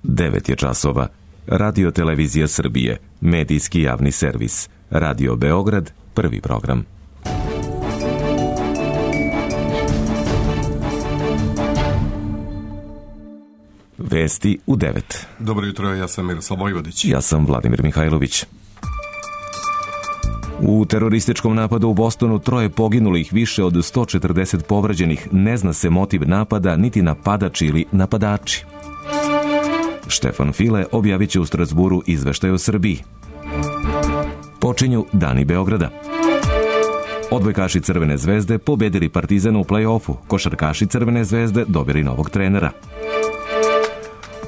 9 je časova. Radio Televizija Srbije, medijski javni servis. Radio Beograd, prvi program. Vesti u 9. Dobro jutro, ja sam Miroslav Vojvodić. Ja sam Vladimir Mihajlović. U terorističkom napadu u Bostonu 3 poginulih, više od 140 povređenih. Ne zna se motiv napada, niti napadač ili napadači. Štefan File objavit će u Strasburu izveštaj o Srbiji. Počinju Dani Beograda. Odbojkaši Crvene zvezde pobedili Partizan u play-offu. Košarkaši Crvene zvezde dobili novog trenera.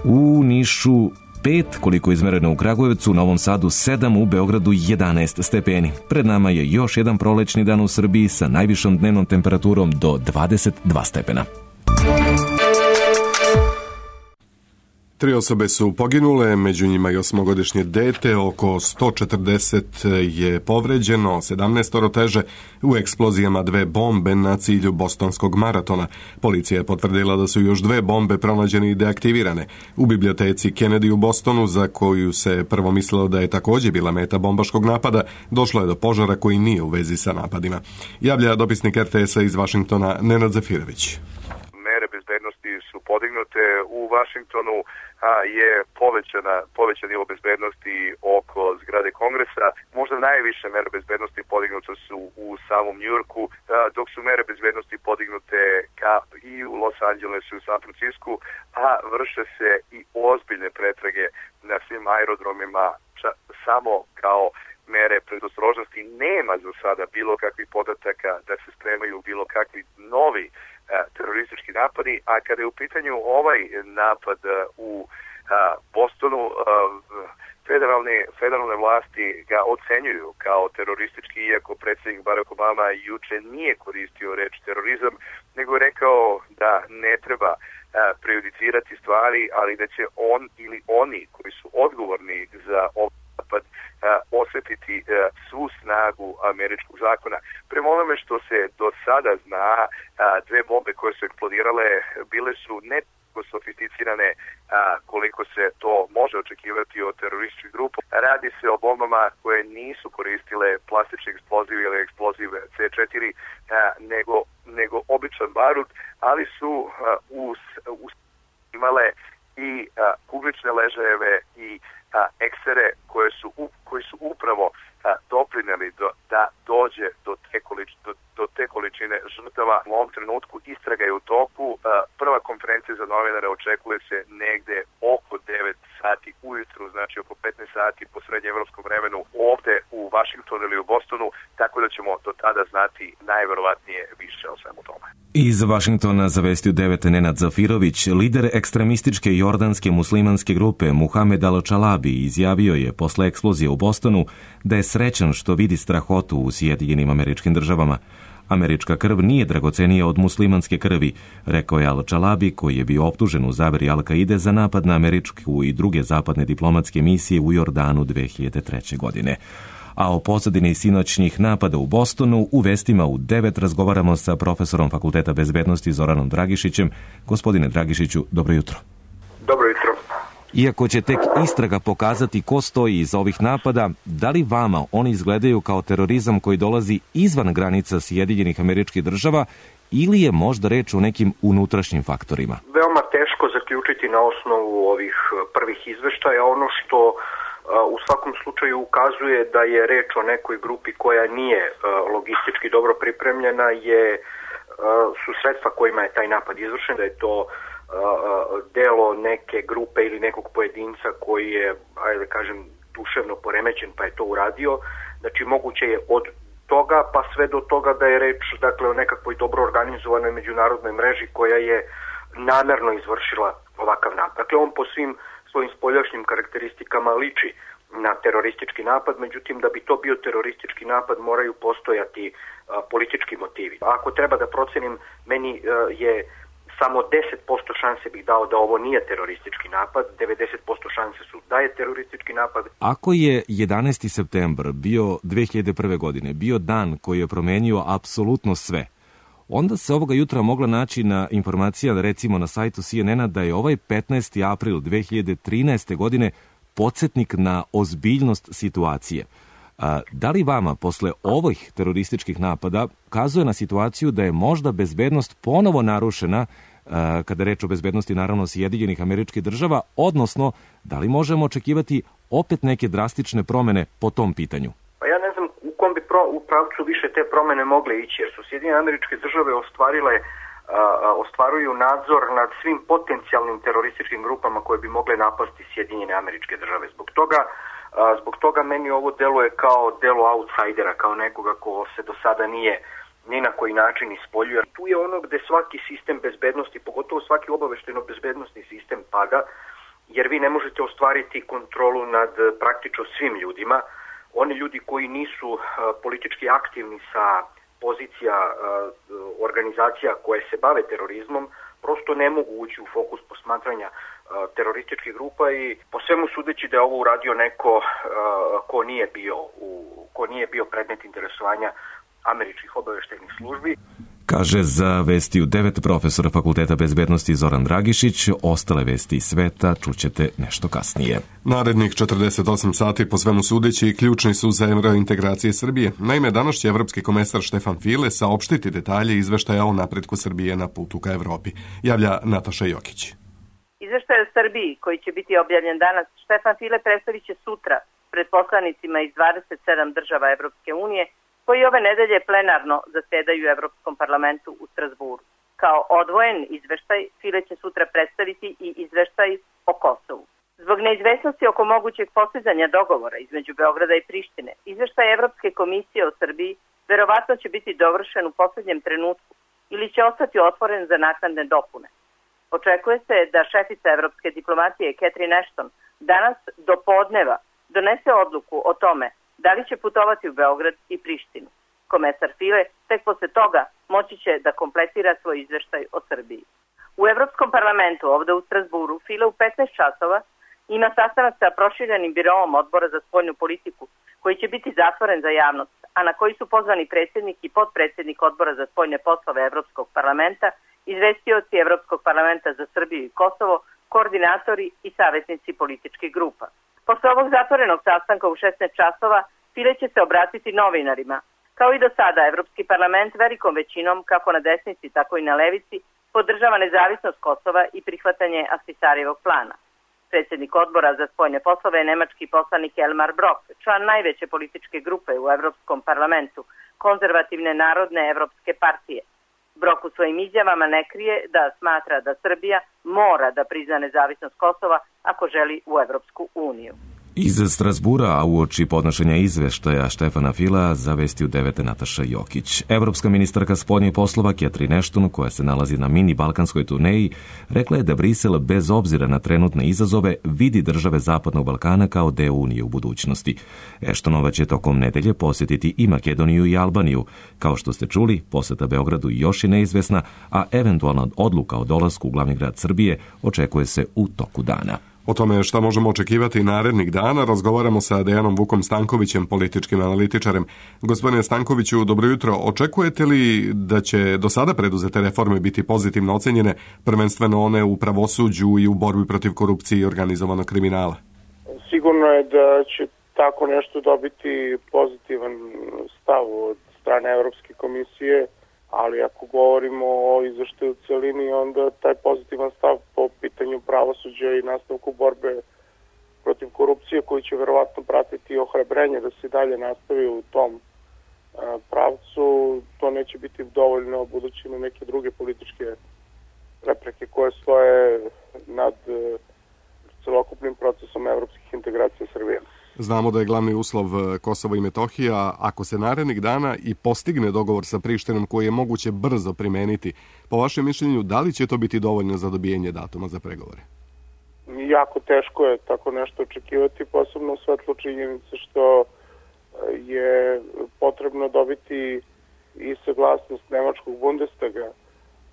U Nišu 5, koliko je izmereno u Kragujevcu, u Novom Sadu 7, u Beogradu 11 stepeni. Pred nama je još jedan prolećni dan u Srbiji sa najvišom dnevnom temperaturom do 22 stepena. 3 osobe su poginule, među njima i 8-godišnje dete, oko 140 je povređeno, 17 teže u eksplozijama 2 bombe na cilju bostonskog maratona. Policija je potvrdila da su još 2 bombe pronađene i deaktivirane. U biblioteci Kennedy u Bostonu, za koju se prvo mislilo da je također bila meta bombaškog napada, došlo je do požara koji nije u vezi sa napadima. Javlja dopisnik RTS-a iz Vašingtona Nenad Zafirović. Mere bezbednosti su podignute u Vašingtonu, je povećan nivo bezbednosti oko zgrade Kongresa. Možda najviše mere bezbednosti podignute su u samom Njujorku, dok su mere bezbednosti podignute i u Los Angelesu i u San Francisku, a vrše se i ozbiljne pretrage na svim aerodromima, samo kao mere predostrožnosti. Nema za sada bilo kakvih podataka da se spremaju bilo kakvi novi teroristički napadi, a kada je u pitanju ovaj napad u Bostonu, federalne vlasti ga ocenjuju kao teroristički, iako predsjednik Barack Obama juče nije koristio reč terorizam, nego je rekao da ne treba prejudicirati stvari, ali da će on ili oni koji su odgovorni za ovaj napad osjetiti svu snagu američkog zakona. Prema onome što se do sada zna, 2 bombe koje su eksplodirale bile su ne sofisticirane koliko se to može očekivati od terorističkih grupa. Radi se o bombama koje nisu koristile plastični eksploziv ili eksploziv C4, nego običan barut, ali su imale i kuglične ležajeve i eksere koji su upravo doprineli da dođe do te količine žrtava. U ovom trenutku istraga je u toku. Prva konferencija za novinare očekuje se negde oko 9 sati ujutru, znači oko 15 sati po srednjeevropskom vremenu ovde u Vašingtonu ili u Bostonu, tako da ćemo do tada znati najverovatnije više o svemu tome. Iz Vašingtona za Vesti u 9 Nenad Zafirović. Lider ekstremističke jordanske muslimanske grupe Muhamed al-Čalabi izjavio je posle eksplozije u Bostonu da je srećan što vidi strahotu u Sjedinjenim Američkim Državama. Američka krv nije dragocenija od muslimanske krvi, rekao je al-Čalabi, koji je bio optužen u zaveri Al-Kaide za napad na američku i druge zapadne diplomatske misije u Jordanu 2003. godine. A o pozadini sinoćnjih napada u Bostonu u Vestima u 9 razgovaramo sa profesorom Fakulteta bezbednosti Zoranom Dragišićem. Gospodine Dragišiću, dobro jutro. Dobro jutro. Iako će tek istraga pokazati ko stoji iza ovih napada, da li vama oni izgledaju kao terorizam koji dolazi izvan granica Sjedinjenih Američkih Država ili je možda reč o nekim unutrašnjim faktorima? Veoma teško zaključiti na osnovu ovih prvih izveštaja. Ono što u svakom slučaju ukazuje da je reč o nekoj grupi koja nije logistički dobro pripremljena su sredstva kojima je taj napad izvršen, da je to delo neke grupe ili nekog pojedinca koji je, ajde da kažem, duševno poremećen pa je to uradio. Znači moguće je od toga pa sve do toga da je reč, dakle, o nekakvoj dobro organizovanoj međunarodnoj mreži koja je namerno izvršila ovakav napad. Dakle, on po svim svojim spoljašnjim karakteristikama liči na teroristički napad, međutim da bi to bio teroristički napad moraju postojati politički motivi. Ako treba da procenim, meni je samo 10% šanse bih dao da ovo nije teroristički napad, 90% šanse su da je teroristički napad. Ako je 11. septembar bio 2001. godine, bio dan koji je promenio apsolutno sve, onda se ovoga jutra mogla naći na informacija, recimo na sajtu CNN-a, da je ovaj 15. april 2013. godine podsjetnik na ozbiljnost situacije. Da li vama, posle ovih terorističkih napada, kazuje na situaciju da je možda bezbednost ponovo narušena, kada je reč o bezbednosti naravno Sjedinjenih Američkih Država, odnosno da li možemo očekivati opet neke drastične promene po tom pitanju? Pa ja ne znam u kom bi u pravcu više te promene mogle ići, jer su Sjedinjene Američke Države ostvaruju nadzor nad svim potencijalnim terorističkim grupama koje bi mogle napasti Sjedinjene Američke Države. Zbog toga meni ovo deluje kao delo outsidera, kao nekoga ko se do sada nije ni na koji način ispoljuje. Tu je ono gde svaki sistem bezbednosti, pogotovo svaki obaveštajno-bezbednostni sistem pada, jer vi ne možete ostvariti kontrolu nad praktično svim ljudima. Oni ljudi koji nisu politički aktivni sa pozicija organizacija koje se bave terorizmom, prosto ne mogu ući u fokus posmatranja terorističkih grupa i po svemu sudeći da je ovo uradio neko ko nije bio predmet interesovanja američkih obaveštajnih službi. Kaže za Vesti u 9 profesor Fakulteta bezbednosti Zoran Dragišić. Ostale vesti iz sveta čućete nešto kasnije. Narednih 48 sati po svemu sudeći ključni su za evrointegracije Srbije. Naime, danas će evropski komesar Štefan File saopštiti detalje izveštaja o napretku Srbije na putu ka Evropi. Javlja Nataša Jokić. Izveštaj o Srbiji, koji će biti objavljen danas, Štefan File predstavit će sutra pred poslanicima iz 27 država Evropske unije, koji ove nedelje plenarno zasedaju u Evropskom parlamentu u Strasburu. Kao odvojen izveštaj, File će sutra predstaviti i izveštaj o Kosovu. Zbog neizvesnosti oko mogućeg postizanja dogovora između Beograda i Prištine, izveštaj Evropske komisije o Srbiji verovatno će biti dovršen u poslednjem trenutku ili će ostati otvoren za naknadne dopune. Očekuje se da šefica evropske diplomatije Catherine Ashton danas do podneva donese odluku o tome da li će putovati u Beograd i Prištinu. Komesar File tek posle toga moći će da kompletira svoj izveštaj o Srbiji. U Evropskom parlamentu ovde u Strasburu File u 15 časova ima sastanak sa proširenim biroom Odbora za spoljnu politiku, koji će biti zatvoren za javnost, a na koji su pozvani predsjednik i potpredsjednik Odbora za spoljne poslove Evropskog parlamenta, izvestioci Evropskog parlamenta za Srbiju i Kosovo, koordinatori i savjetnici političkih grupa. Posle ovog zatvorenog sastanka u 16 časova File će se obratiti novinarima. Kao i do sada, Evropski parlament velikom većinom, kako na desnici, tako i na levici, podržava nezavisnost Kosova i prihvatanje Ahtisarijevog plana. Predsjednik Odbora za spoljne poslove je nemački poslanik Elmar Brok, član najveće političke grupe u Evropskom parlamentu, Konzervativne narodne evropske partije. Brok u svojim izjavama ne krije da smatra da Srbija mora da prizna nezavisnost Kosova ako želi u Evropsku uniju. Iz Strasbura, a uoči podnošenja izveštaja Štefana Fila, za Vesti u 9 Nataša Jokić. Evropska ministarka spoljnih poslova Catherine Ashton, koja se nalazi na mini balkanskoj turneji, rekla je da Brisel, bez obzira na trenutne izazove, vidi države Zapadnog Balkana kao deo Unije u budućnosti. Ashtonova će tokom nedelje posjetiti i Makedoniju i Albaniju. Kao što ste čuli, poseta Beogradu još je neizvesna, a eventualna odluka o dolasku u glavni grad Srbije očekuje se u toku dana. O tome šta možemo očekivati narednih dana razgovaramo sa Dejanom Vukom Stankovićem, političkim analitičarem. Gospodine Stankoviću, dobro jutro. Očekujete li da će do sada preduzete reforme biti pozitivno ocenjene, prvenstveno one u pravosuđu i u borbi protiv korupcije i organizovanog kriminala? Sigurno je da će tako nešto dobiti pozitivan stav od strane Evropske komisije, ali ako govorimo o izveštaju u celini, onda taj pozitivan stav po pitanju pravosuđa i nastavku borbe protiv korupcije, koji će verovatno pratiti ohrabrenje da se dalje nastavi u tom pravcu, to neće biti dovoljno budući na neke druge političke prepreke koje stoje nad celokupnim procesom evropskih integracija Srbije. Znamo da je glavni uslov Kosovo i Metohija. Ako se narednih dana i postigne dogovor sa Prištinom koji je moguće brzo primeniti, po vašem mišljenju, da li će to biti dovoljno za dobijanje datuma za pregovore? Jako teško je tako nešto očekivati, posebno u svetlu činjenice što je potrebno dobiti i saglasnost nemačkog Bundestaga,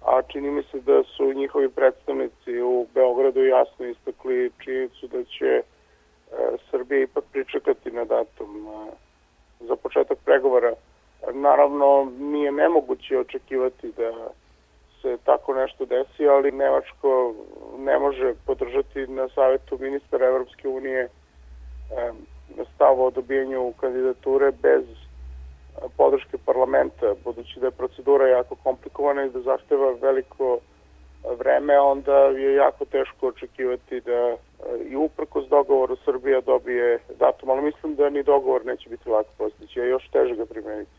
a čini mi se da su njihovi predstavnici u Beogradu jasno istakli činjenicu da će Srbija ipak pričekati na datum za početak pregovora. Naravno, nije nemoguće očekivati da se tako nešto desi, ali Nemačko ne može podržati na savjetu ministara Evropske unije stav o dobijenju kandidature bez podrške parlamenta, budući da je procedura jako komplikovana i da zahteva veliko vreme, onda je jako teško očekivati da i uprkos dogovoru Srbija dobije datum, ali mislim da ni dogovor neće biti lako postići, a još teže ga primeniti.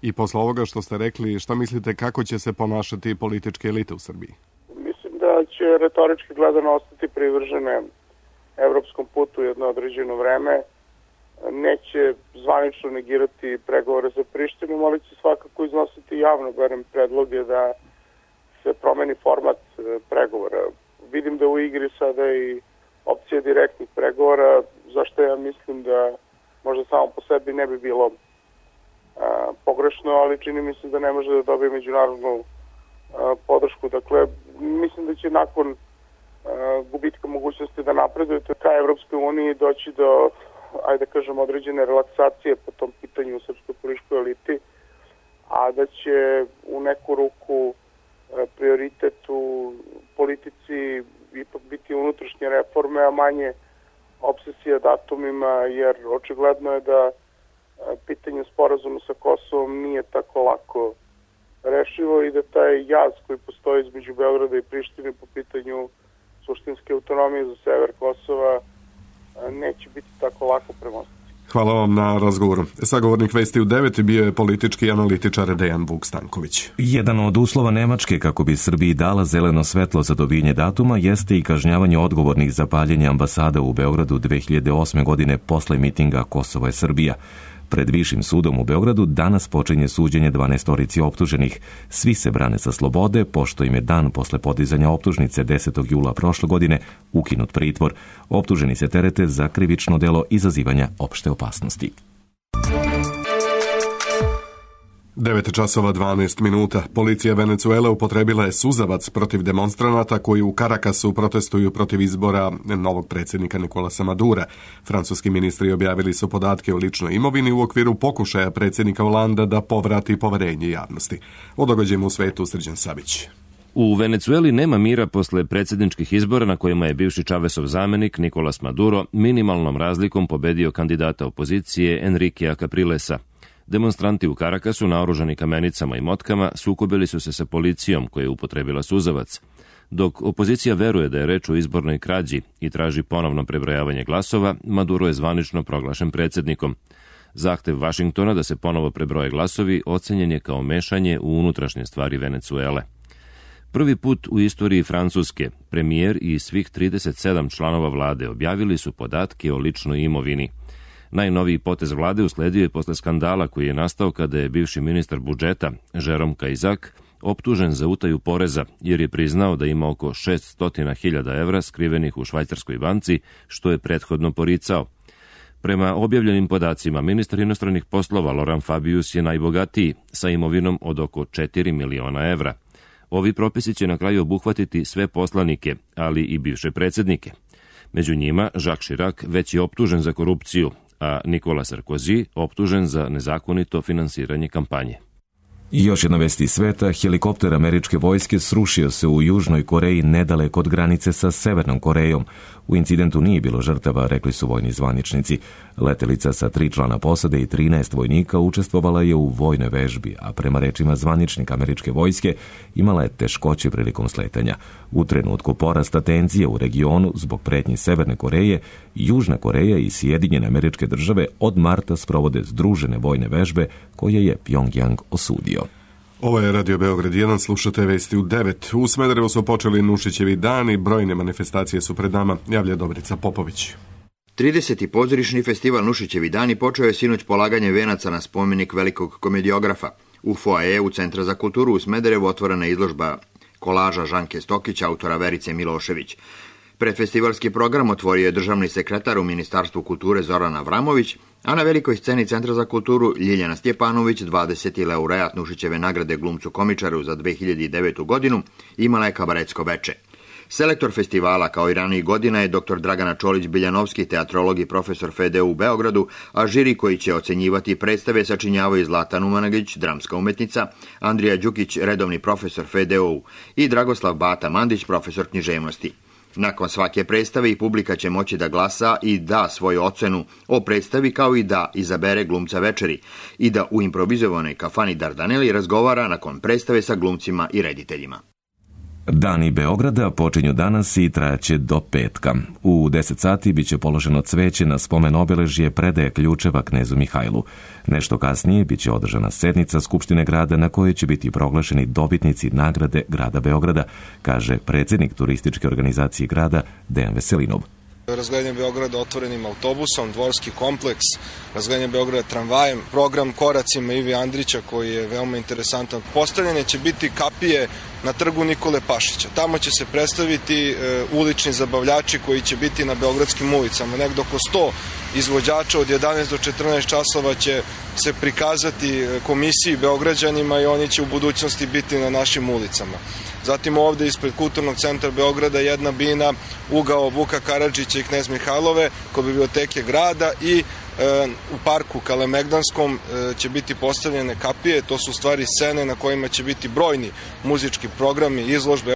I posle ovoga što ste rekli, šta mislite kako će se ponašati političke elite u Srbiji? Mislim da će retorički gledano ostati privržene evropskom putu jedno određeno vreme. Neće zvanično negirati pregovore sa Prištinom, ali će svakako iznositi javno, barem predloge da se promeni format pregovora. Vidim da u igri sada i opcija direktnih pregovora, zašto ja mislim da možda samo po sebi ne bi bilo pogrešno, ali čini mi se da ne može da dobije međunarodnu podršku. Dakle, mislim da će nakon gubitka mogućnosti da napredujete ka Evropskoj uniji doći do, ajde kažem, određene relaksacije po tom pitanju u srpskoj političkoj eliti, a da će u neku ruku prioritet u politici ipak biti unutrašnje reforme, a manje obsesija datumima, jer očigledno je da pitanje sporazuma sa Kosovom nije tako lako rešivo i da taj jaz koji postoji između Beograda i Prištine po pitanju suštinske autonomije za sever Kosova neće biti tako lako premostiti. Hvala vam na razgovoru. Sagovornik Vesti u 9 bio je politički analitičar Dejan Vuk Stanković. Jedan od uslova Nemačke kako bi Srbiji dala zeleno svetlo za dobijenje datuma jeste i kažnjavanje odgovornih za paljenje ambasada u Beogradu 2008. godine posle mitinga Kosovo je Srbija. Pred Višim sudom u Beogradu danas počinje suđenje 12 optuženih. Svi se brane sa slobode, pošto im je dan posle podizanja optužnice 10. jula prošle godine ukinut pritvor. Optuženi se terete za krivično delo izazivanja opšte opasnosti. 9:12. Policija Venecuele upotrebila je suzavac protiv demonstranata koji u Karakasu protestuju protiv izbora novog predsjednika Nikolasa Madura. Francuski ministri objavili su podatke o ličnoj imovini u okviru pokušaja predsjednika Holanda da povrati poverenje javnosti. O događajima u svetu Srđan Savić. U Venecueli nema mira posle predsjedničkih izbora na kojima je bivši Čavesov zamenik Nikolas Maduro minimalnom razlikom pobedio kandidata opozicije Enriquea Caprilesa. Demonstranti u Karakasu, naoružani kamenicama i motkama, sukobili su se sa policijom koja je upotrebila suzavac. Dok opozicija veruje da je reč o izbornoj krađi i traži ponovno prebrojavanje glasova, Maduro je zvanično proglašen predsjednikom. Zahtev Vašingtona da se ponovo prebroje glasovi ocenjen je kao mešanje u unutrašnje stvari Venecuele. Prvi put u istoriji Francuske, premijer i svih 37 članova vlade objavili su podatke o ličnoj imovini. Najnoviji potez vlade usledio je posle skandala koji je nastao kada je bivši ministar budžeta, Jérôme Cahuzac, optužen za utaju poreza jer je priznao da ima oko 600.000 evra skrivenih u švajcarskoj banci, što je prethodno poricao. Prema objavljenim podacima, ministar inostranih poslova Laurent Fabius je najbogatiji, sa imovinom od oko 4 miliona evra. Ovi propisi će na kraju obuhvatiti sve poslanike, ali i bivše predsjednike. Među njima, Jacques Chirac već je optužen za korupciju, a Nicolas Sarkozy optužen za nezakonito finansiranje kampanje. I još jedna vest iz sveta, helikopter američke vojske srušio se u Južnoj Koreji nedaleko od granice sa Severnom Korejom. U incidentu nije bilo žrtava, rekli su vojni zvaničnici. Letelica sa 3 člana posade i 13 vojnika učestvovala je u vojnoj vežbi, a prema rečima zvaničnika američke vojske imala je teškoće prilikom sletanja. U trenutku porasta tenzije u regionu zbog pretnji Severne Koreje, Južna Koreja i Sjedinjene Američke Države od marta sprovode združene vojne vežbe koje je Pjongjang osudio. Ovo je Radio Beograd 1, slušate Vesti u 9. U Smederevu su počeli Nušićevi dani, brojne manifestacije su pred nama, javlja Dobrica Popović. 30. pozorišni festival Nušićevi dani počeo je sinoć polaganje venaca na spomenik velikog komediografa. U foajeu Centra za kulturu u Smederevu otvorena izložba kolaža Žanke Stokić, autora Verice Milošević. Predfestivalski program otvorio je državni sekretar u Ministarstvu kulture Zoran Avramović, a na velikoj sceni Centra za kulturu Ljiljana Stjepanović, 20. laureat Nušićeve nagrade glumcu komičaru za 2009. godinu, imala je kabaretsko veče. Selektor festivala kao i ranijih godina je dr. Dragana Čolić-Biljanovski, teatrolog i profesor FDU u Beogradu, a žiri koji će ocenjivati predstave sačinjavaju Zlatan Umanagić, dramska umetnica, Andrija Đukić, redovni profesor FDU i Dragoslav Bata Mandić, profesor književnosti. Nakon svake predstave i publika će moći da glasa i da svoju ocenu o predstavi, kao i da izabere glumca večeri i da u improvizovanoj kafani Dardaneli razgovara nakon predstave sa glumcima i rediteljima. Dani Beograda počinju danas i trajaće do petka. U 10 sati biće položeno cveće na spomen obeležje predaje ključeva knezu Mihajlu. Nešto kasnije biće održana sednica Skupštine grada na kojoj će biti proglašeni dobitnici nagrade grada Beograda, kaže predsjednik turističke organizacije grada Dejan Veselinov. Razgledanje Beograda otvorenim autobusom, dvorski kompleks, razgledanje Beograda tramvajem, program koracima Ivi Andrića koji je veoma interesantan. Postavljanje će biti kapije na trgu Nikole Pašića. Tamo će se predstaviti ulični zabavljači koji će biti na beogradskim ulicama. Nekdo oko 100 izvođača od 11 do 14 časova će se prikazati komisiji Beograđanima i oni će u budućnosti biti na našim ulicama. Zatim ovde ispred Kulturnog centra Beograda jedna bina, ugao Vuka Karadžića i Knez Mihajlove kod biblioteke grada i u parku Kalemegdanskom će biti postavljene kapije, to su u stvari scene na kojima će biti brojni muzički programi, izložbe.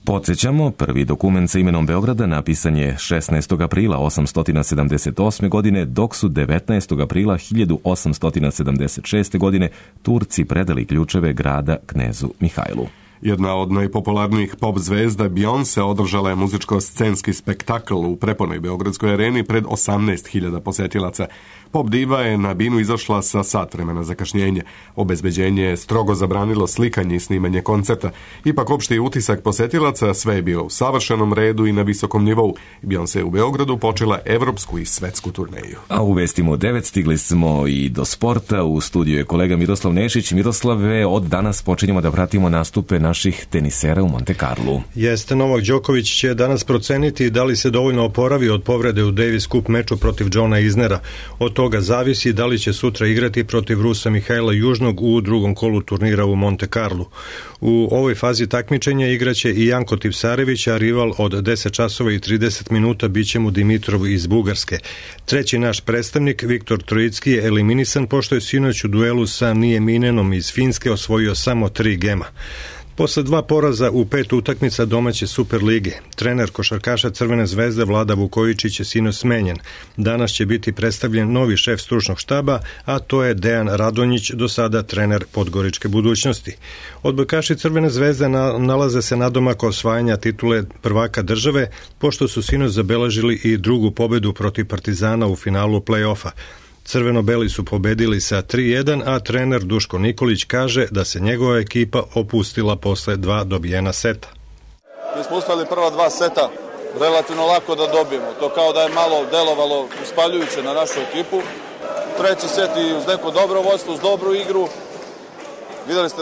Podsjećamo, prvi dokument sa imenom Beograda napisan je 16. aprila 878. godine, dok su 19. aprila 1876. godine Turci predali ključeve grada knezu Mihajlu. Jedna od najpopularnijih pop zvezda Beyoncé održala je muzičko-scenski spektakl u prepunoj Beogradskoj areni pred 18.000 posetilaca. Pop diva je na binu izašla sa sat vremena zakašnjenja. Obezbeđenje je strogo zabranilo slikanje i snimanje koncerta. Ipak opšti utisak posetilaca sve je bilo u savršenom redu i na visokom nivou. Beyoncé u Beogradu počela evropsku i svetsku turneju. A u vestima u 9 stigli smo i do sporta. U studiju je kolega Miroslav Nešić. Miroslave, od danas počinjemo da pratimo nastupe naših tenisera u Monte Carlu. Jeste, Novak Đoković će danas proceniti da li se dovoljno oporavi od povrede u Davis Cup meču protiv Johna Isnera. Od toga zavisi da li će sutra igrati protiv Rusa Mihajla Južnog u drugom kolu turnira u Monte Carlu. U ovoj fazi takmičenja igraće i Janko Tipsarević, a rival od 10 časova i 30 minuta biće mu Dimitrov iz Bugarske. Treći naš predstavnik, Viktor Trojicki, je eliminisan pošto je sinoć u duelu sa Nieminenom iz Finske osvojio samo 3 gema. Posle 2 poraza u 5 utakmica domaće Super lige, trener košarkaša Crvene zvezde Vlada Vukojičić je sinoć smenjen. Danas će biti predstavljen novi šef stručnog štaba, a to je Dejan Radonjić, do sada trener Podgoričke budućnosti. Odbojkaši Crvene zvezde nalaze se nadomak osvajanja titule prvaka države, pošto su sinoć zabeležili i drugu pobedu protiv Partizana u finalu play-offa. Crveno-beli su pobedili sa 3-1, a trener Duško Nikolić kaže da se njegova ekipa opustila posle 2 dobijena seta. Mi smo uspeli prva 2 seta relativno lako da dobijemo. To kao da je malo delovalo uspaljujuće na našu ekipu. Treći set i uz neko dobro vodstvo, uz dobru igru. Videli ste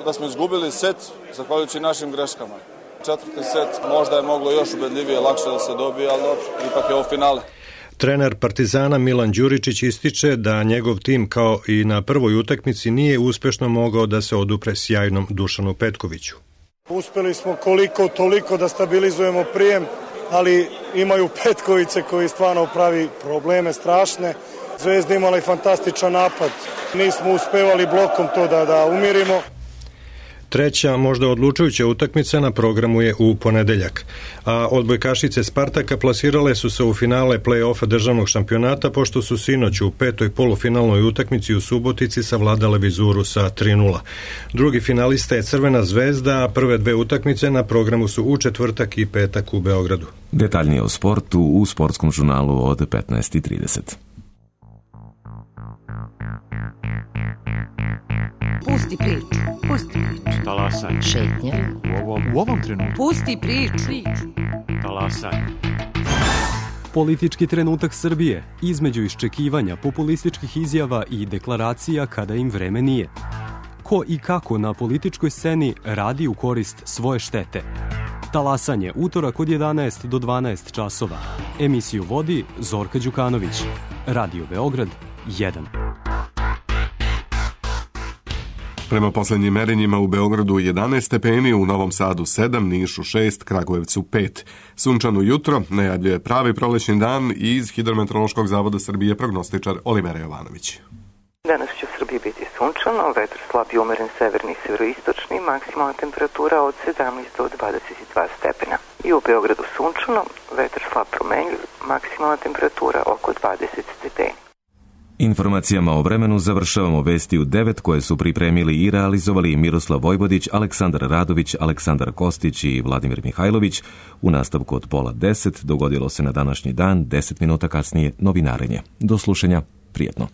da smo izgubili set zahvaljujući našim greškama. Četvrti set možda je moglo još ubedljivije, lakše da se dobije, ali dobro, ipak je ovo finale. Trener Partizana Milan Đuričić ističe da njegov tim kao i na prvoj utakmici nije uspešno mogao da se odupre sjajnom Dušanu Petkoviću. Uspeli smo koliko toliko da stabilizujemo prijem, ali imaju Petkoviće koji stvarno pravi probleme strašne. Zvezda imala i fantastičan napad. Nismo uspevali blokom to da umirimo. Treća, možda odlučujuća utakmica na programu je u ponedeljak, a odbojkašice Spartaka plasirale su se u finale play-offa državnog šampionata, pošto su sinoć u 5. polufinalnoj utakmici u Subotici savladale Vizuru sa 3-0. Drugi finalista je Crvena zvezda, a prve 2 utakmice na programu su u četvrtak i petak u Beogradu. Detaljnije o sportu u sportskom žurnalu od 15:30. Pusti priču. Pusti priču. Talasaj. Šetnja. U ovom trenutku. Pusti priču. Talasaj. Politički trenutak Srbije, između iščekivanja populističkih izjava i deklaracija kada im vreme nije. Ko i kako na političkoj sceni radi u korist svoje štete. Talasanje, utorak od 11 do 12 časova. Emisiju vodi Zorka Đukanović. Radio Beograd 1. Prema poslednjim merenjima u Beogradu 11 stepeni, u Novom Sadu 7, Nišu 6, Kragujevcu 5. Sunčano jutro najavljuje pravi prolećni dan i iz Hidrometeorološkog zavoda Srbije prognostičar Olivera Jovanović. Danas će u Srbiji biti sunčano, vetar slab i umeren severni i severoistočni, maksimalna temperatura od 17 do 22 stepena. I u Beogradu sunčano, vetar slab promenljiv, maksimalna temperatura oko 20 stepeni. Informacijama o vremenu završavamo vesti u 9 koje su pripremili i realizovali Miroslav Vojvodić, Aleksandar Radović, Aleksandar Kostić i Vladimir Mihajlović. U nastavku od 9:30 dogodilo se na današnji dan, 10 minuta kasnije novinarenje. Do slušanja, prijetno.